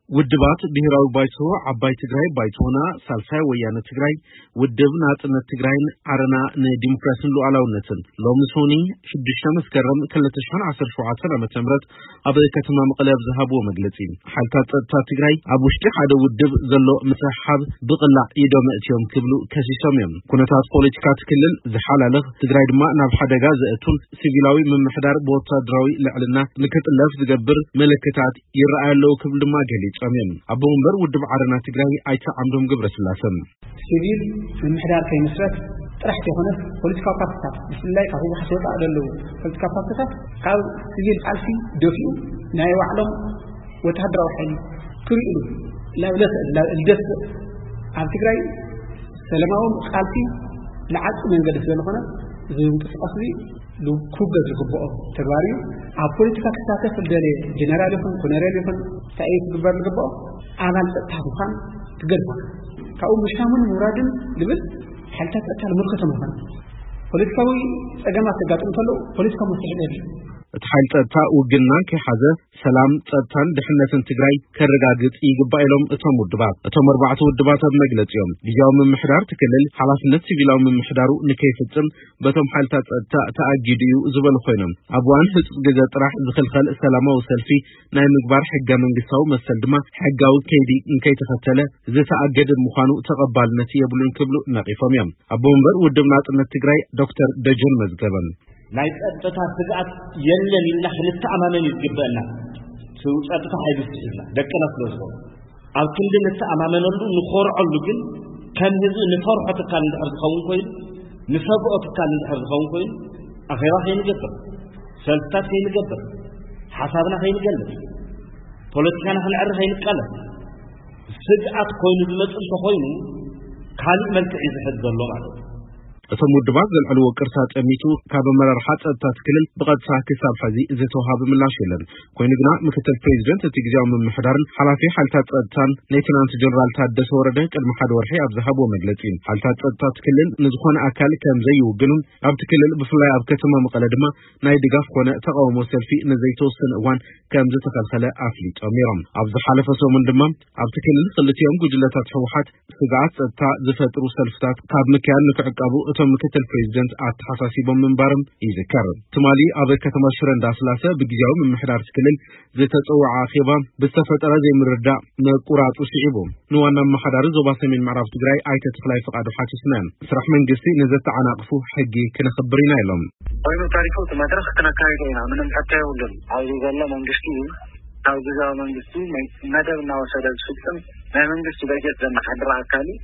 ውድባት ብሄራዊ ባይቶ፣ ዓባይ ትግራይ፣ ባይቶና፣ ሳልሳይ ወያነ ትግራይ፣ ውድብ ናጽነት ትግራይን ዓረና ንዲሞክራሲን ሉዓላውነትን ሎሚ ሶኒ ሽዱሽተ መስከረም ክልተ ሽሕን ዓሰርተ ሸውዓተን ዓመተ ምህረት ኣብ ከተማ መቐለ ኣብ ዝሃብዎ መግለጺ፣ ሓይልታት ጸጥታ ትግራይ ኣብ ውሽጢ ሓደ ውድብ ዘሎ ምስሕሓብ ብቕላዕ ኢዶም ኣእትዮም ክብሉ ከሲሶም እዮም። ኩነታት ፖለቲካ እቲ ክልል ዝሓላልኽ፣ ትግራይ ድማ ናብ ሓደጋ ዘእቱን ሲቪላዊ ምምሕዳር ብወታደራዊ ልዕልና ንክጥለፍ ዝገብር ምልክታት ይረኣዩ ኣለዉ ክብሉ ድማ ገሊጾም እዮም። ኣቦ መንበር ውድብ ዓረና ትግራይ ኣይተ ዓምዶም ገብረስላሰ። ሲቪል ምምሕዳር ከይምስረት ጥራሕ ዘይኮነስ ፖለቲካዊ ፓርቲታት፣ ብፍላይ ካብ ህወሓት ወፃእ ዘለዉ ፖለቲካዊ ፓርቲታት ካብ ሲቪል ቃልሲ ደፊኡ ናይ ባዕሎም ወተሃደራዊ ሓይሊ ክርእሉ ናብ ለስዕ ናብ እልደስዕ ኣብ ትግራይ ሰላማዊ ቃልሲ ንዓቂ መንገዲ ስለዝኾነ፣ እዚ ምንቅስቃስ እዚ ክውገዝ ዝግብኦ ተግባር እዩ። ኣብ ፖለቲካ ክሳተፍ ዝደለየ ጀነራል ይኹን ኮነሬል ይኹን እንታይ እዩ ክግበር ዝግብኦ? ኣባል ጸጥታ ምዃን ክገድፎ። ካብኡ ምሻሙን ምውራድን ዝብል ሓይልታት ጸጥታ ንምልከቶም ይኾን። ፖለቲካዊ ጸገማት ዘጋጥሙ ከለዉ ፖለቲካዊ መፍትሒ የድልዩ። እቲ ሓይሊ ጸጥታ ውግና ከይሓዘ ሰላም፣ ጸጥታን ድሕነትን ትግራይ ከረጋግጽ ይግባእ ኢሎም እቶም ውድባት። እቶም ኣርባዕተ ውድባት ኣብ መግለጺኦም፣ ግዝያዊ ምምሕዳር እቲ ክልል ሓላፍነት ሲቪላዊ ምምሕዳሩ ንከይፍጽም በቶም ሓይልታት ጸጥታ ተኣጊዱ እዩ ዝበሉ ኮይኖም፣ ኣብ እዋን ህጹጽ ግዜ ጥራሕ ዝኽልኸል ሰላማዊ ሰልፊ ናይ ምግባር ሕገ መንግስታዊ መሰል ድማ ሕጋዊ ከይዲ እንከይተኸተለ ዝተኣገደ ምዃኑ ተቐባልነት የብሉን ክብሉ ነቒፎም እዮም። ኣቦ መንበር ውድብ ናጽነት ትግራይ ዶክተር ደጀን መዝገበ። ናይ ጸጥታ ስግኣት የለን ኢልና ክንተኣማመን እዩ ዝግበአና። እቲ ጸጥታ ሓይሊ ስሒብና ደቅና ስለ ዝኾኑ፣ ኣብ ክንዲ ንተኣማመነሉ ንኾርዐሉ ግን፣ ከም ህዝቢ ንፈርሖ ትካል እንድሕር ዝኸውን ኮይኑ፣ ንሰግኦ ትካል እንድሕር ዝኸውን ኮይኑ፣ ኣኼባ ከይንገብር፣ ሰልፍታት ከይንገብር፣ ሓሳብና ከይንገልጽ፣ ፖለቲካና ክነዕሪ ከይንቃለስ፣ ስግኣት ኮይኑ ዝመጽእ እንተኾይኑ፣ ካልእ መልክዕ እዩ ዝሕዝ ዘሎ ማለት እዩ። እቶም ውድባት ዘልዕልዎ ቅርሳ ጠሚቱ፣ ካብ ኣመራርሓ ጸጥታ እቲ ክልል ብቐጥታ ክሳብ ሕዚ ዝተውሃበ ምላሽ የለን። ኮይኑ ግና፣ ምክትል ፕሬዚደንት እቲ ግዝያዊ ምምሕዳርን ሓላፊ ሓይልታት ጸጥታን ሌተናንት ጀነራል ታደሰ ወረደ ቅድሚ ሓደ ወርሒ ኣብ ዝሃብዎ መግለጺ፣ ሓይልታት ጸጥታ እቲ ክልል ንዝኾነ ኣካል ከም ዘይውግኑን ኣብቲ ክልል ብፍላይ ኣብ ከተማ መቐለ ድማ ናይ ድጋፍ ኮነ ተቓውሞ ሰልፊ ንዘይተወሰነ እዋን ከም ዝተኸልኸለ ኣፍሊጦም ነይሮም። ኣብ ዝሓለፈ ሰሙን ድማ ኣብቲ ክልል ክልቲኦም ጉጅለታት ህወሓት ስግኣት ጸጥታ ዝፈጥሩ ሰልፍታት ካብ ምክያድ ንክዕቀቡ እቶም ምክትል ፕሬዚደንት ኣተሓሳሲቦም ምንባሮም ይዝከር። ትማሊ ኣብ ከተማ ሽረ እንዳስላሰ ብግዝያዊ ምምሕዳር እቲ ክልል ዝተጸውዐ ኣኼባ ብዝተፈጠረ ዘይምርዳእ ምቁራጹ ስዒቡ፣ ንዋና ኣመሓዳሪ ዞባ ሰሜን ምዕራብ ትግራይ ኣይተ ተኽላይ ፍቓዱ ሓቲትና። ስራሕ መንግስቲ ንዘተዓናቕፉ ሕጊ ክነኽብር ኢና ኢሎም። ኮይኑ ተሪፉ እቲ መድረኽ ክነካይዶ ኢና፣ ምንም ሕቶ የብሉን። ኣብዚ ዘሎ መንግስቲ እዩ። ካብ ግዝያዊ መንግስቲ ናይ መደብ እናወሰደ ዝፍጽም ናይ መንግስቲ በጀት ዘመሓድር ኣካል እዩ።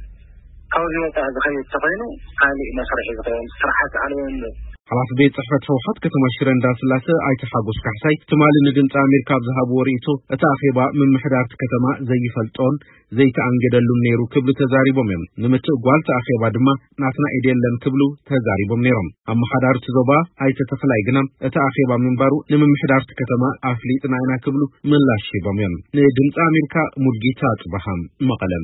ካብዚ ወፃኢ ዝኸይድ ተኾይኑ ካሊእ መስርሕ እዩ ዝኸውን። ስርዓት ኣልቦ እንዶ። ሓላፊ ቤት ጽሕፈት ህወሓት ከተማ ሽረ እንዳስላሰ ኣይተ ሓጎስ ካሕሳይ ትማሊ ንድምፂ ኣሜሪካ ኣብ ዝሃብዎ ርእይቶ፣ እቲ ኣኼባ ምምሕዳር እቲ ከተማ ዘይፈልጦን ዘይተኣንገደሉን ነይሩ ክብሉ ተዛሪቦም እዮም። ንምትእጓል እቲ ኣኼባ ድማ ናትና ኢድ የለን ክብሉ ተዛሪቦም ነይሮም። ኣመሓዳሪ እቲ ዞባ ኣይተ ተኽላይ ግና እቲ ኣኼባ ምንባሩ ንምምሕዳር እቲ ከተማ ኣፍሊጥና ኢና ክብሉ ምላሽ ሂቦም እዮም። ንድምፂ ኣሜሪካ ሙልጌታ ጽባሃ መቐለ።